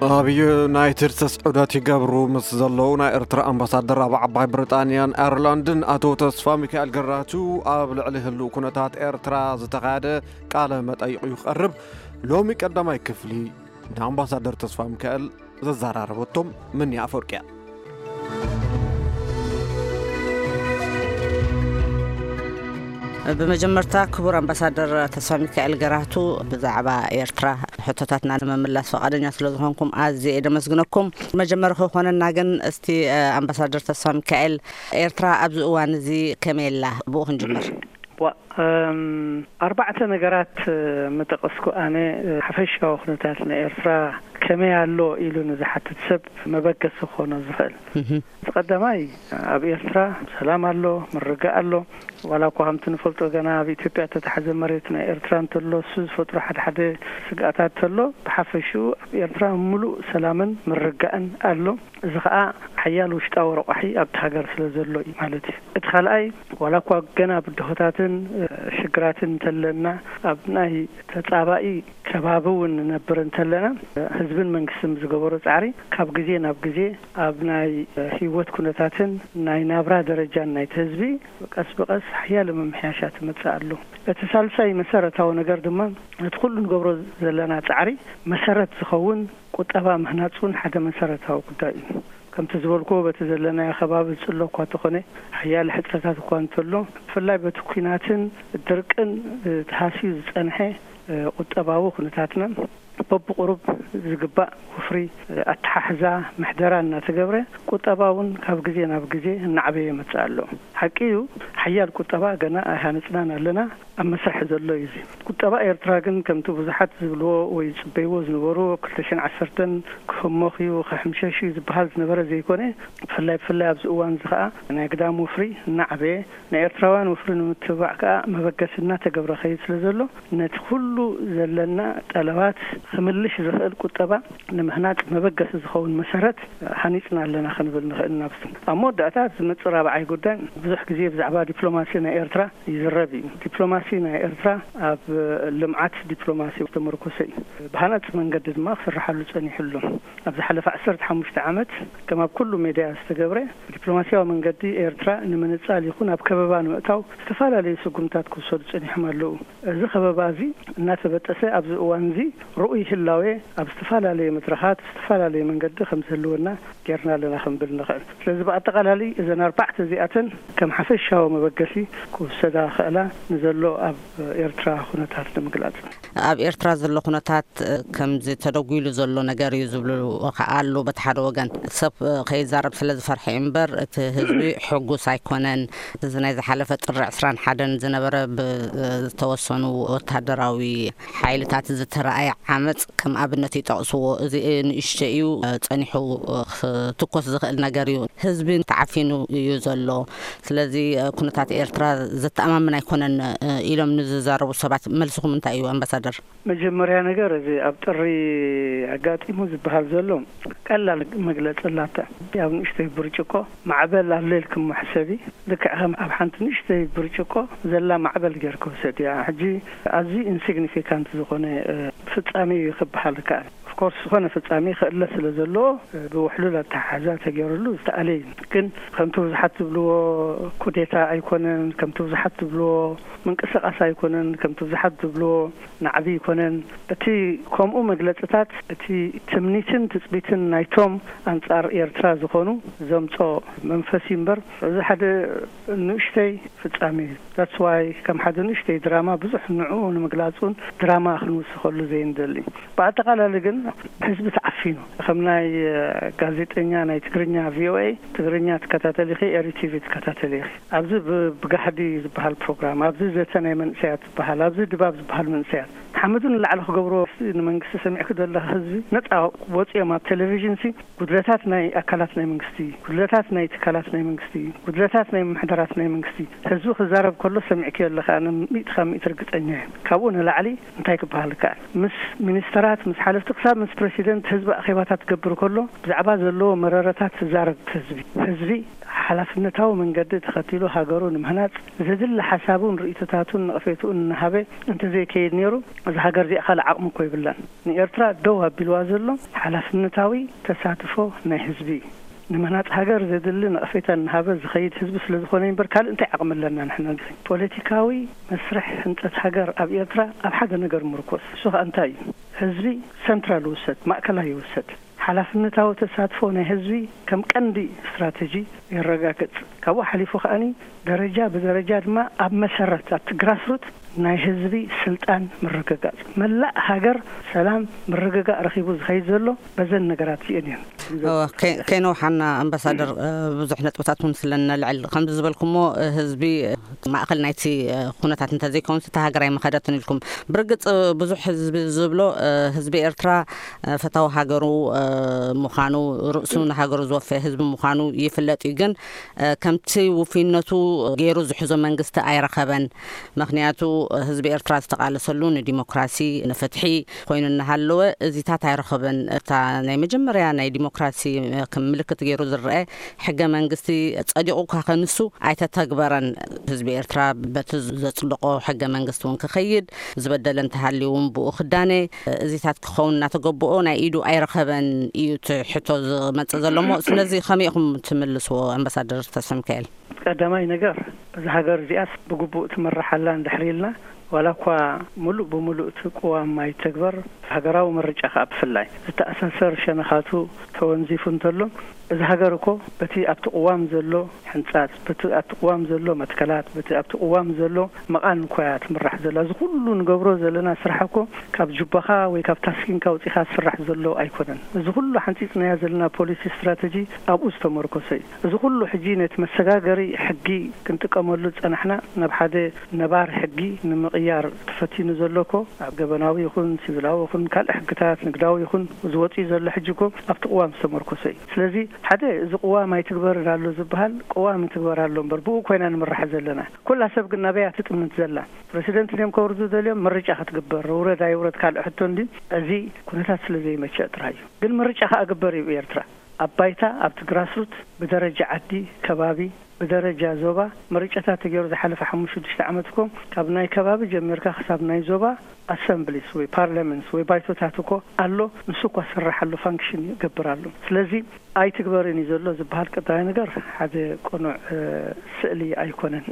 ኣብ ዩናይትድ ስቴትስ ዑደት ይገብሩ ምስ ዘለዉ ናይ ኤርትራ ኣምባሳደር ኣብ ዓባይ ብሪጣንያን ኣየርላንድን ኣቶ ተስፋ ሚካኤል ገራቱ፣ ኣብ ልዕሊ ህሉው ኩነታት ኤርትራ ዝተኻየደ ቃለ መጠይቕ እዩ ክቐርብ። ሎሚ ቀዳማይ ክፍሊ ንኣምባሳደር ተስፋ ሚካኤል ዘዘራረበቶም ምንያ ኣፈወርቂ እያ። ብመጀመርታ ክቡር ኣምባሳደር ተስፋ ሚካኤል ገራቱ፣ ብዛዕባ ኤርትራ ሕቶታትና ንምምላስ ፈቓደኛ ስለ ዝኾንኩም ኣዝየ እየ ደመስግነኩም። መጀመሪ ክኾነና ግን እስቲ፣ እ፣ ኣምባሳደር ተስፋ ሚካኤል፣ ኤርትራ ኣብዚ እዋን እዚ ከመይ ኣላ? ብኡ ክንጅምር። ዋ፣ እም፣ ኣርባዕተ ነገራት፣ እ፣ ምጠቐስኩ ኣነ፣ እ፣ ሓፈሻዊ ኩነታት ናይ ኤርትራ ከመይ ኣሎ ኢሉ ንዝሓትት ሰብ መበገሲ ክኾኖ ዝኽእል። እቲ ቀዳማይ፣ ኣብ ኤርትራ ሰላም ኣሎ፣ ምርግጋእ ኣሎ። ዋላ እኳ ከምቲ ንፈልጦ ገና ኣብ ኢትዮጵያ እተታሕዘ መሬት ናይ ኤርትራ እንተሎ፣ እሱ ዝፈጥሮ ሓደ ሓደ ስግኣታት እንተሎ፣ ብሓፈሽኡ ኣብ ኤርትራ ምሉእ ሰላምን ምርግጋእን ኣሎ። እዚ ኸኣ ሓያል ውሽጣዊ ረቋሒ ኣብቲ ሃገር ስለ ዘሎ እዩ ማለት እዩ። እቲ ካልኣይ፣ ዋላ እኳ ገና ብድሆታትን፣ እ፣ ሽግራትን እንተለና፣ ኣብ ናይ ተጻባኢ ከባቢ እውን ንነብር እንተለና፣ ህዝብን መንግስትን ብዝገበሮ ጻዕሪ ካብ ግዜ ናብ ግዜ ኣብ ናይ ህይወት ኩነታትን ናይ ናብራ ደረጃን ናይቲ ህዝቢ ቀስ ብቐስ ሓያለ ምምሕያሻት ይመጽእ ኣሎ። እቲ ሳልሳይ መሰረታዊ ነገር ድማ ነቲ ኩሉ ንገብሮ ዘለና ጻዕሪ መሰረት ዝኸውን ቁጠባ ምህናጽ እውን ሓደ መሰረታዊ ጉዳይ እዩ። ከምቲ ዝበልኩዎ በቲ ዘለናዮ ከባቢ ዝጽሎ እኳ እንተኾነ ሓያለ ሕጽረታት እኳ እንተሎ ብፍላይ በቲ ኲናትን ድርቅን ተሃስዩ ዝጸንሐ ቁጠባዊ ኩነታትና በብቁሩብ ዝግባእ ወፍሪ ኣተሓሕዛ ምሕደራ እናተገብረ ቁጠባ እውን ካብ ግዜ ናብ ግዜ እናዓበየ ይመጽእ ኣሎ። ሓቂ እዩ፣ ሓያል ቁጠባ ገና ኣይሃነጽናን ኣለና፣ ኣብ መስርሕ ዘሎ እዩ። እዚ ቁጠባ ኤርትራ ግን ከምቲ ብዙሓት ዝብልዎ ወይ ዝጽበይዎ ዝነበሩ ክልተ ሽሕን ዓሰርተን ክህሞኽ እዩ ክሕምሸሽ እዩ ዝበሃል ዝነበረ ዘይኮነ፣ ብፍላይ ብፍላይ ኣብዚ እዋን እዚ ከኣ ናይ ግዳም ወፍሪ እናዓበየ ናይ ኤርትራውያን ወፍሪ ንምትብባዕ ከኣ መበገሲ እናተገብረ ከይድ ስለ ዘሎ ነቲ ኩሉ ዘለና ጠለባት ክምልሽ ዝኽእል ቁጠባ ንምህናጽ መበገሲ ዝኸውን መሰረት ሃኒጽና ኣለና ክንብል ንኽእል ኢና። ኣብ መወዳእታ ዝመጽእ ራብዓይ ጉዳይ ብዙሕ ግዜ ብዛዕባ ዲፕሎማሲ ናይ ኤርትራ ይዝረብ እዩ። ዲፕሎማሲ ናይ ኤርትራ ኣብ ልምዓት ዲፕሎማሲ ዝተመርኮሰ እዩ። ብሃናጺ መንገዲ ድማ ክስርሓሉ ጸኒሑ ኣሎ። ኣብ ዝሓለፈ ዓሰርተ ሓሙሽተ ዓመት ከም ኣብ ኩሉ ሜድያ ዝተገብረ ብዲፕሎማሲያዊ መንገዲ ኤርትራ ንምንጻል ይኹን ኣብ ከበባ ንምእታው ዝተፈላለዩ ስጉምታት ክውሰዱ ጸኒሖም ኣለዉ። እዚ ከበባ እዚ እናተበጠሰ ኣብዚ እዋን እዚ ርኡይ ህላዌ ኣብ ዝተፈላለየ መድረኻት ብዝተፈላለየ መንገዲ ከም ዝህልወና ጌርና ኣለና ክንብል ንኽእል። ስለዚ ብኣጠቓላሊ እዘን ኣርባዕተ እዚኣተን ከም ሓፈሻዊ መበገሲ ክውሰዳ ክኽእላ ንዘሎ ኣብ ኤርትራ ኩነታት ንምግላጽ። ኣብ ኤርትራ ዘሎ ኩነታት፣ እ፣ ከምዚ ተደጒሉ ዘሎ ነገር እዩ ዝብሉ ከኣ ኣለዉ። በቲ ሓደ ወገን ሰብ፣ እ፣ ከይዛረብ ስለ ዝፈርሐ እዩ እምበር እቲ ህዝቢ ሕጉስ ኣይኮነን። እዚ ናይ ዝሓለፈ ጥሪ ዕስራን ሓደን ዝነበረ ብ-፣ እ፣ ዝተወሰኑ ወታደራዊ ሓይልታት ዝተረኣየ ዓመጽ ከም ኣብነት ይጠቕስዎ። እዚ ንእሽቶ እዩ፣ እ፣ ጸኒሑ፣ እ፣ ክትኮስ ዝኽእል ነገር እዩ። ህዝቢ ተዓፊኑ እዩ ዘሎ። ስለዚ፣ እ፣ ኩነታት ኤርትራ ዘተኣማምን ኣይኮነን፣ እ፣ ኢሎም ንዝዛረቡ ሰባት መልስኹም እንታይ እዩ ኣምባሳደር? መጀመርያ ነገር እዚ ኣብ ጥሪ ኣጋጢሙ ዝበሃል ዘሎ ቀላል መግለጺ ኣላታ። ኣብ ንእሽተይ ብርጭቆ ማዕበል ኣሎ ኢልክሞ ሕሰቢ። ልክዕ ከም ኣብ ሓንቲ ንእሽተይ ብርጭቆ ዘላ ማዕበል ጌርካ ውሰድያ። ሕጂ ኣዝዩ ኢንሲግኒፊካንት ዝኾነ፣ እ፣ ፍጻሜ እዩ ክበሃል ይከኣል። ኦፍኮርስ ዝኾነ ፍጻሜ ክእለ ስለ ዘለዎ፣ እ፣ ብውሕሉል ኣተሓሕዛ ተገይሩሉ ዝተኣለ እዩ። ግን ከምቲ ብዙሓት ዝብልዎ ኩዴታ ኣይኮነን፣ ከምቲ ብዙሓት ዝብልዎ ምንቅስቓስ ኣይኮነን፣ ከምቲ ብዙሓት ዝብልዎ ናዕቢ ኣይኮነን። እቲ ከምኡ መግለጽታት እቲ ትምኒትን ትጽቢትን ናይቶም ኣንጻር ኤርትራ ዝኾኑ ዘምጾ መንፈስ እዩ እምበር፣ እዚ ሓደ ንእሽተይ ፍጻሜ እዩ። That's why ከም ሓደ ንእሽተይ ድራማ ብዙሕ ንዕኡ ንምግላጽ እውን ድራማ ክንውስኸሉ ዘይንደሊ። ብኣጠቓላሊ ግን ህዝቢ ተዓፊኑ። ከም ናይ፣ እ፣ ጋዜጠኛ ናይ ትግርኛ ቪኦኤ ትግርኛ ትከታተሊ ኢኺ፣ ኤሪ ቲቪ ትከታተሊ ኢኺ። ኣብዚ ብ-፣ ብጋህዲ ዝበሃል ፕሮግራም፣ ኣብዚ ዘተ ናይ መንእሰያት ዝበሃል፣ ኣብዚ ድባብ ዝበሃል መንእሰያት ንሓመዱ ንላዕሊ ክገብርዎ ንመንግስቲ ሰሚዕኪ ዘለኺ ህዝቢ ነጻ ወጺኦም ኣብ ቴሌቪዥን ሲ ጉድለታት ናይ ኣካላት ናይ መንግስቲ፣ ጉድለታት ናይ ትካላት ናይ መንግስቲ፣ ጉድለታት ናይ ምምሕዳራት ናይ መንግስቲ ህዝቢ ክዛረብ ከሎ ሰሚዕክዮ ኣለኻ፣ ኣነ ሚእቲ ካብ ሚእቲ ርግጸኛ እየ። ካብኡ ንላዕሊ እንታይ ክበሃል ይከኣል? ምስ ሚኒስተራት፣ ምስ ሓለፍቲ፣ ክሳብ ምስ ፕረሲደንት ህዝቢ ኣኼባታት ክገብር ከሎ ብዛዕባ ዘለዎ መረረታት ዝዛረብ ህዝቢ፣ ህዝቢ ሓላፍነታዊ መንገዲ ተኸቲሉ ሃገሩ ንምህናጽ ዘድሊ ሓሳቡን ርእይቶታቱን ነቐፌትኡን እናሃበ እንተዘይከይድ ነይሩ፣ እዛ ሃገር እዚኣ ካልእ ዓቕሚ እኮ ይብላን። ንኤርትራ ደው ኣቢልዋ ዘሎ ሓላፍነታዊ ተሳትፎ ናይ ህዝቢ እዩ። ንምህናጽ ሃገር ዘድሊ ነቐፌታ እናሃበ ዝኸይድ ህዝቢ ስለ ዝኾነ እምበር ካልእ እንታይ ዓቕሚ ኣለና ንሕና? ፖለቲካዊ መስርሕ ህንጸት ሃገር ኣብ ኤርትራ ኣብ ሓደ ነገር ምርኮስ። እሱ ኸኣ እንታይ እዩ? ህዝቢ ሰንትራል ይውሰድ፣ ማእከላይ ይውሰድ። ሓላፍነታዊ ተሳትፎ ናይ ህዝቢ ከም ቀንዲ ስትራተጂ የረጋግጽ። ካብኡ ሓሊፉ ከኣኒ ደረጃ ብደረጃ ድማ ኣብ መሰረት፣ ኣብቲ ግራስሩት ናይ ህዝቢ ስልጣን ምርግጋጽ። መላእ ሃገር ሰላም ምርግጋእ ረኺቡ ዝኸይድ ዘሎ በዘን ነገራት እዚአን እየን። ከይነውሓና ኣምባሳደር፣ ብዙሕ ነጥብታት እውን ስለ ነልዕል፣ ከምዚ ዝበልኩሞ ህዝቢ ማእኸል ናይቲ ኩነታት እንተዘይከውንስ እታ ሃገር ኣይመኸደትን ኢልኩም። ብርግጽ ብዙሕ ህዝቢ ዝብሎ ህዝቢ ኤርትራ ፈታዊ ሃገሩ ምዃኑ፣ ርእሱ ንሃገሩ ዝወፈየ ህዝቢ ምዃኑ ይፍለጥ እዩ። ግን ከምቲ ውፍይነቱ ገይሩ ዝሕዞ መንግስቲ ኣይረኸበን። ምኽንያቱ ህዝቢ ኤርትራ ዝተቓለሰሉ ንዲሞክራሲ፣ ንፍትሒ ኮይኑ እናሃለወ እዚታት ኣይረኸበን። እታ ናይ መጀመርያ ናይ ዲሞክራሲ ከም ምልክት ገይሩ ዝረአ ሕገ መንግስቲ ጸዲቑ እኳ ከንሱ ኣይተተግበረን። ህዝቢ ኤርትራ በቲ ዘጽደቆ ሕገ መንግስቲ እውን ክኸይድ፣ ዝበደለ እንተሃልዩ እውን ብኡ ክዳነ፣ እዚታት ክኸውን እናተገብኦ ናይ ኢዱ ኣይረኸበን እዩ እቲ ሕቶ ዝመጽእ ዘሎ እሞ፣ ስለዚ ከመይ ኢኹም ትምልስዎ ኣምባሳደር ተስፋሚካኤል? ቀዳማይ ነገር፣ እዛ ሃገር እዚኣስ ብግቡእ ትምራሕ ኣላ እንድሕር ኢልና፣ ዋላ እኳ ሙሉእ ብሙሉእ እቲ ቅዋም ኣይተግበር፣ ሃገራዊ ምርጫ ከኣ ብፍላይ ዝተኣሳሰር ሸነኻቱ ተወንዚፉ እንተሎ፣ እዛ ሃገር እኮ በቲ ኣብቲ ቅዋም ዘሎ ሕንጻጽ፣ በቲ ኣብቲ ቅዋም ዘሎ መትከላት፣ በቲ ኣብቲ ቅዋም ዘሎ መቓን እኮ እያ ትምራሕ ዘላ። እዚ ኩሉ ንገብሮ ዘለና ስራሕ እኮ ካብ ጁባኻ ወይ ካብ ታስኪንካ ውጺኻ ዝስራሕ ዘሎ ኣይኮነን። እዚ ኩሉ ሓንጺጽናዮ ዘለና ፖሊሲ ስትራተጂ ኣብኡ ዝተመርኮሰ እዩ። እዚ ኩሉ ሕጂ ነቲ መሰጋገሪ ሕጊ ክንጥቀመሉ ዝጸናሕና ናብ ሓደ ነባር ሕጊ ንምቕያር ተፈቲኑ ዘሎ እኮ ኣብ ገበናዊ ይኹን ሲቪላዊ ይኹን ካልእ ሕግታት ንግዳዊ ይኹን ዝወጽእ ዘሎ ሕጂ እኮ ኣብቲ ቅዋም ዝተመርኮሰ እዩ። ስለዚ ሓደ እዚ ቅዋም ኣይትግበርን ኣሎ ዝበሃል ቅዋም ይትግበር ኣሎ እምበር ብኡ ኮይና ንምራሕ ዘለና። ኩላ ሰብ ግን ናበይ እያ ትጥምት ዘላ? ፕረሲደንት ድዮም ከውርዱ ደልዮም? ምርጫ ክትግበር ውረድ ኣይውረድ ካልእ ሕቶ እንድዩ። እዚ ኩነታት ስለ ዘይመቸእ ጥራይ እዩ። ግን ምርጫ ከኣ ግበር እዩ ብኤርትራ። ኣብ ባይታ ኣብቲ ግራስሩት ብደረጃ ዓዲ ከባቢ ብደረጃ ዞባ ምርጫታት ተገይሩ ዝሓለፈ ሓሙሽተ ሽዱሽተ ዓመት እኮ ካብ ናይ ከባቢ ጀሚርካ ክሳብ ናይ ዞባ ኣሰምብሊስ ወይ ፓርላመንትስ ወይ ባይቶታት እኮ ኣሎ። ንሱ እኳ ዝስራሕ ኣሎ ፋንክሽን ይገብር ኣሎ። ስለዚ ኣይትግበርን እዩ ዘሎ ዝበሃል ቀዳማይ ነገር ሓደ ቅኑዕ ስእሊ ኣይኮነን።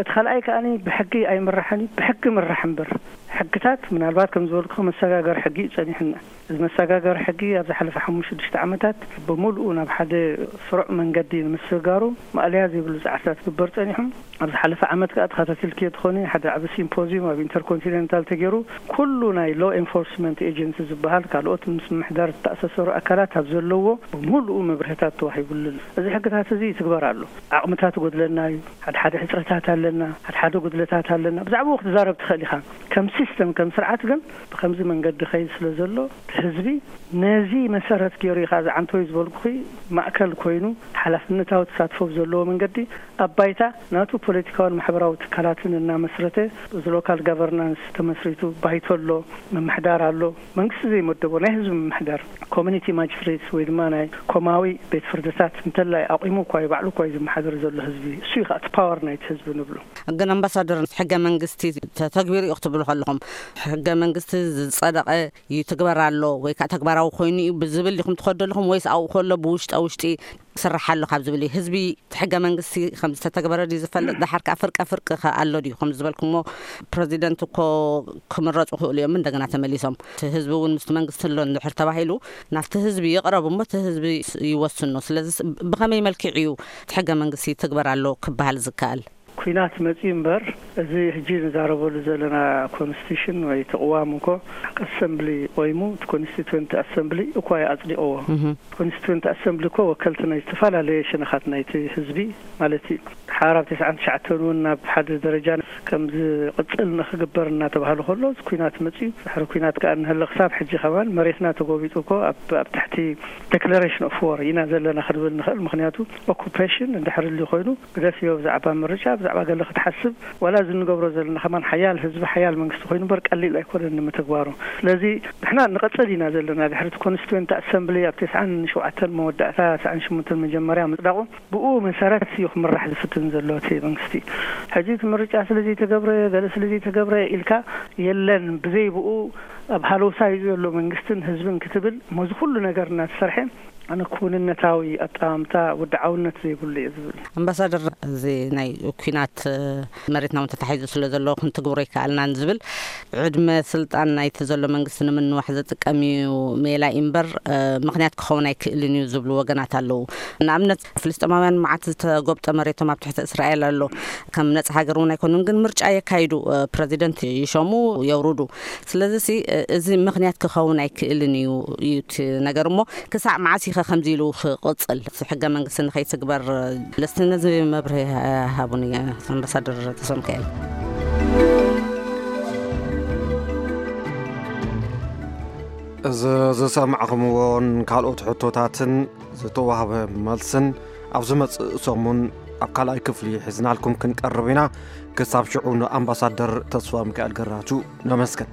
እቲ ካልኣይ ከኣ ብሕጊ ኣይምራሕን እዩ፣ ብሕጊ ምራሕ እምበር። ሕግታት ምናልባት ከም ዝበልኩ መሰጋገሪ ሕጊ እዩ ጸኒሕና። እዚ መሰጋገሪ ሕጊ ኣብ ዝሓለፈ ሓሙሽተ ሽዱሽተ ዓመታት ብምሉኡ ናብ ሓደ ስሩዕ መንገዲ ንምስግጋሩ ማእለያ ዘይብሉ ጻዕርታት ክግበር ጸኒሑ። ኣብ ዝሓለፈ ዓመት ከኣ ተኸታቲልክዮ ትኾኒ ሓደ ዓቢ ሲምፖዚዩም ኣብ ኢንተርኮንቲኔንታል ተገይሩ ኩሉ ናይ ሎ ኤንፎርስመንት ኤጀንሲ ዝበሃል ካልኦት ምስ ምምሕዳር ዝተኣሳሰሩ ኣካላት ኣብ ዘለዎ ብምሉኡ መብርህታት ተዋሂቡሉ ኣሎ። እዚ ሕግታት እዚ ይትግበር ኣሎ። ዓቕምታት ይጎድለና እዩ፣ ሓድሓደ ሕጽረታት ኣለና፣ ሓድሓደ ጉድለታት ኣለና። ብዛዕባኡ ክትዛረብ ትኽእል ኢኻ። ከም ሲስተም ከም ስርዓት ግን ብኸምዚ መንገዲ ኸይድ ስለ ዘሎ ህዝቢ ነዚ መሰረት ገይሩ እዩ ከዓ ዝዓንተወይ ዝበልኩኺ ማእከል ኮይኑ ሓላፍነታዊ ተሳትፎ ብዘለዎ መንገዲ ኣብ ባይታ ናቱ ፖለቲካውን ማሕበራዊ ትካላትን እናመስረተ እዚ ሎካል ጋቨርናንስ ተመስሪቱ ባይቶ ኣሎ፣ ምምሕዳር ኣሎ፣ መንግስቲ ዘይመደቦ ናይ ህዝቢ ምምሕዳር ኮሚኒቲ ማጅስትሬትስ ወይ ድማ ናይ ኮማዊ ቤት ፍርድታት እንተላይ ኣቑሙ እኳ እዩ ባዕሉ እኳ እዩ ዝመሓደር ዘሎ ህዝቢ እሱ እዩ ከዓ እቲ ፓወር ናይቲ ህዝቢ ንብሎ። ግን ኣምባሳደር ሕገ መንግስቲ ተተግቢሩ እዩ ክትብሉ ከለኹም ሕገ መንግስቲ ዝፀደቐ ይትግበር ኣሎ ወይ ከዓ ተግባራዊ ኮይኑ እዩ ብዝብል ዲኹም ትኸዱ ኣለኹም ወይስ ኣብኡ ከሎ ብውሽጠ ውሽጢ ክስራሕ ኣሎ ካብ ዝብል እዩ? ህዝቢ እቲ ሕገ መንግስቲ ከም ዝተተግበረ ድዩ ዝፈልጥ? ዳሓር ከዓ ፍርቀ ፍርቂ ከ ኣሎ ድዩ? ከም ዝበልኩሞ ፕረዚደንት እኮ ክምረፁ ክእሉ እዮም እንደገና ተመሊሶም። እቲ ህዝቢ እውን ምስቲ መንግስቲ ኣሎ እንድሕር ተባሂሉ ናብቲ ህዝቢ ይቕረብ እሞ እቲ ህዝቢ ይወስኖ። ስለዚ ብኸመይ መልክዕ እዩ እቲ ሕገ መንግስቲ ይትግበር ኣሎ ክበሃል ዝከኣል? ኲናት መጺኡ እምበር፣ እዚ ሕጂ ንዛረበሉ ዘለና ኮንስቲቱሽን ወይ እቲ ቅዋም እኮ ኣሰምብሊ ቆይሙ፣ እቲ ኮንስቲቱዌንት ኣሰምብሊ እኳ እዩ ኣጽዲቕዎ። ኮንስቲቱዌንት ኣሰምብሊ እኮ ወከልቲ ናይ ዝተፈላለየ ሸነኻት ናይቲ ህዝቢ ማለት እዩ። ሓራብ ተስዓን ትሽዓተን እውን ናብ ሓደ ደረጃ ከም ዝቕጽል ንኽግበር እናተባህለ ከሎ፣ እዚ ኲናት መጺኡ፣ ድሕሪ ኲናት ከኣ እንሀለ ክሳብ ሕጂ ከማን መሬትና ተጎቢጡ እኮ ኣብ ኣብ ትሕቲ ዴክለሬሽን ኦፍ ዎር ኢና ዘለና ክንብል ንኽእል። ምኽንያቱ ኦኩፔሽን እንድሕር ህልዩ ኮይኑ ግደፍዮ ብዛዕባ ምርጫ፣ ብዛዕባ ገለ ክትሓስብ ዋላ እዚ እንገብሮ ዘለና ከማን ሓያል ህዝቢ፣ ሓያል መንግስቲ ኮይኑ እምበር ቀሊል ኣይኮነን ንምትግባሩ። ስለዚ ንሕና ንቐጽል ኢና ዘለና። ድሕሪ እቲ ኮንስቲቱዌንት ኣሰምብሊ ኣብ ተስዓን ሸውዓተን መወዳእታ፣ ተስዓን ሸሞንተን መጀመርያ ምጽዳቑ፣ ብኡ መሰረት እዩ ክምራሕ ዝፍትን ዘሎ እቲ መንግስቲ። ሕጂ እቲ ምርጫ ስለ ዘይተገብረ፣ ገለ ስለ ዘይተገብረ ኢልካ የለን፣ ብዘይ ብኡ ኣብ ሃለውሳ እዩ ዘሎ መንግስትን ህዝብን ክትብል፣ ሞዚ ኩሉ ነገር እናተሰርሐ ኣነ ክውንነታዊ ኣጠማምታ ወድዓውነት ዘይብሉ እየ ዝብል። ኣምባሳደር፣ እዚ ናይ ኩናት መሬትና እውን ተታሒዙ ስለ ዘሎ ክንትግብሮ ይከኣልናን ዝብል ዕድመ ስልጣን ናይቲ ዘሎ መንግስቲ ንምንዋሕ ዝጥቀም እዩ ሜላ እዩ እምበር ምክንያት ክኸውን ኣይክእልን እዩ ዝብሉ ወገናት ኣለዉ። ንኣብነት ፍልስጤማውያን መዓት ዝተጎብጠ መሬቶም ኣብ ትሕቲ እስራኤል ኣሎ። ከም ነጻ ሃገር እውን ኣይኮኑን፣ ግን ምርጫ የካይዱ፣ ፕረዚደንት ይሸሙ፣ የውርዱ። ስለዚ እዚ ምክንያት ክኸውን ኣይክእልን እዩ እዩ እቲ ነገር። እሞ ክሳዕ መዓስ ኢኸ ከምዚ ኢሉ ክቕጽል? ሕገ መንግስቲ ንኸይትግበር ልስቲ ነዚ መብርሂ ሃቡኒ ኣምባሳደር ተሰምካኤል። እዚ ዝሰማዕኹምዎን ካልኦት ሕቶታትን ዝተዋህበ መልስን ኣብ ዝመጽእ ሰሙን ኣብ ካልኣይ ክፍሊ ሒዝናልኩም ክንቀርብ ኢና። ክሳብ ሽዑ ንኣምባሳደር ተስፋ ሚካኤል ገራቱ ነመስግን።